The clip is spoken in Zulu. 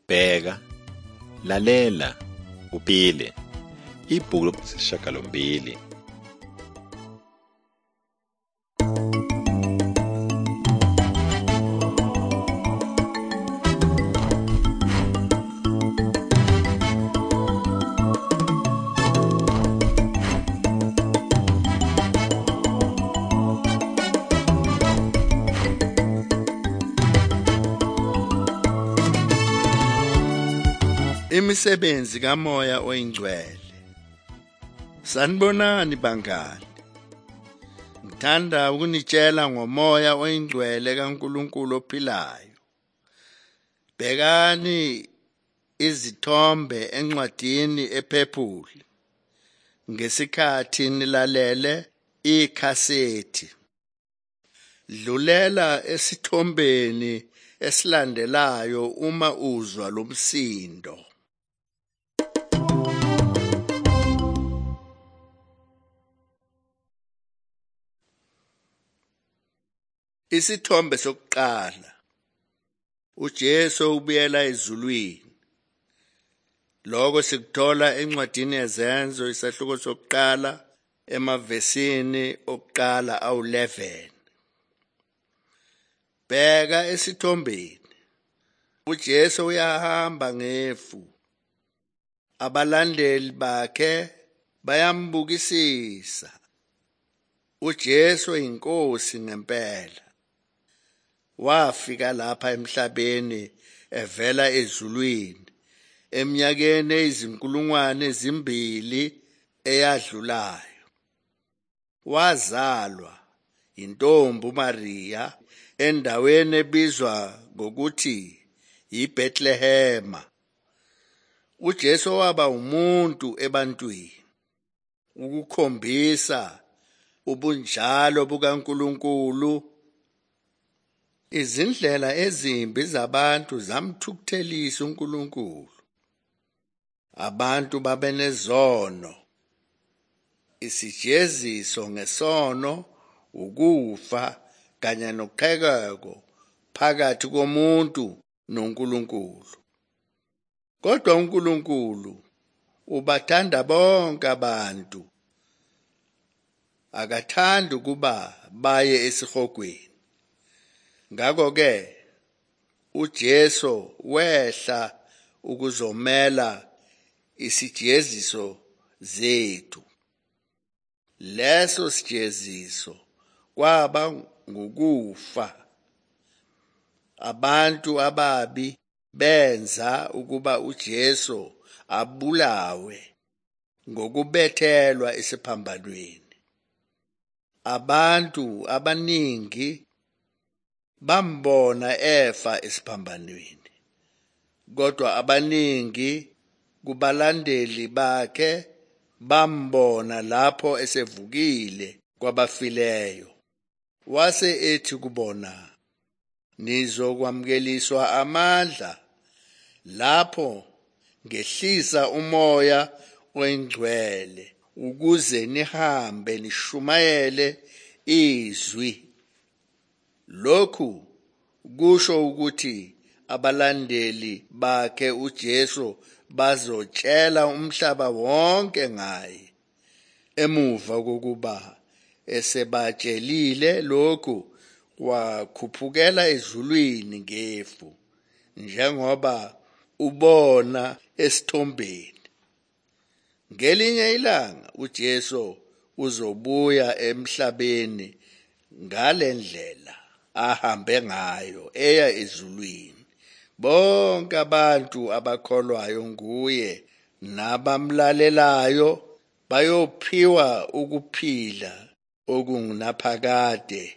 Bheka, lalela, uphile. Ibhuku 8. Imisebenzi kaMoya oyiNgcwele. Sanibonani bangani. Ngithanda ukunitshela ngoMoya oyiNgcwele kaNkulunkulu ophilayo. Bhekani izithombe encwadini ephephuli ngesikhathi nilalele ikhasethi. Dlulela esithombeni esilandelayo uma uzwa lomsindo. Isithombe sokuqala. uJesu ubuyela ezulwini. Lokho sikuthola encwadini yeZenzo isahluko sokuqala emavesini okuqala awu-11. Bheka esithombeni. uJesu uyahamba ngefu. Abalandeli bakhe bayambukisisa. uJesu inkosi ngempela. Wafika lapha emhlabeni evela ezulwini eminyakeni eyizinkulungwane 2 eyadlulayo. Wazalwa intombi uMaria endaweni ebizwa ngokuthi yiBethlehema. uJesu waba umuntu ebantwini ukukhombisa ubunjalo bukaNkulunkulu. Izindlela ezimbi zabantu zamthukuthelisa uNkulunkulu. Abantu babenezono. Isijeziso ngesono ukufa kanye noqhekeko phakathi komuntu noNkulunkulu. Kodwa uNkulunkulu ubathanda bonke abantu. Akathandi ukuba baye esihogweni. Ngakho-ke uJesu wehla ukuzomela isijeziso zethu. Leso sijeziso kwaba ngukufa. Abantu ababi benza ukuba uJesu abulawe ngokubethelwa esiphambanweni. Abantu abaningi bambona efa esiphambanweni, kodwa abaningi kubalandeli bakhe bambona lapho esevukile kwabafileyo. Wase ethi kubona, nizokwamukeliswa amandla lapho ngehlisa uMoya oyiNgcwele ukuze nihambe nishumayele izwi. Lokhu kusho ukuthi abalandeli bakhe uJesu bazotshela umhlaba wonke ngaye. Emuva kokuba esebatshelile lokhu, wakhuphukela ezulwini ngefu, njengoba ubona esithombeni. Ngelinye ilanga uJesu uzobuya emhlabeni ngalendlela ahambe ngayo eya ezulwini. Bonke abantu abakholwayo nguye nabamlalelayo bayophiwa ukuphila okungunaphakade.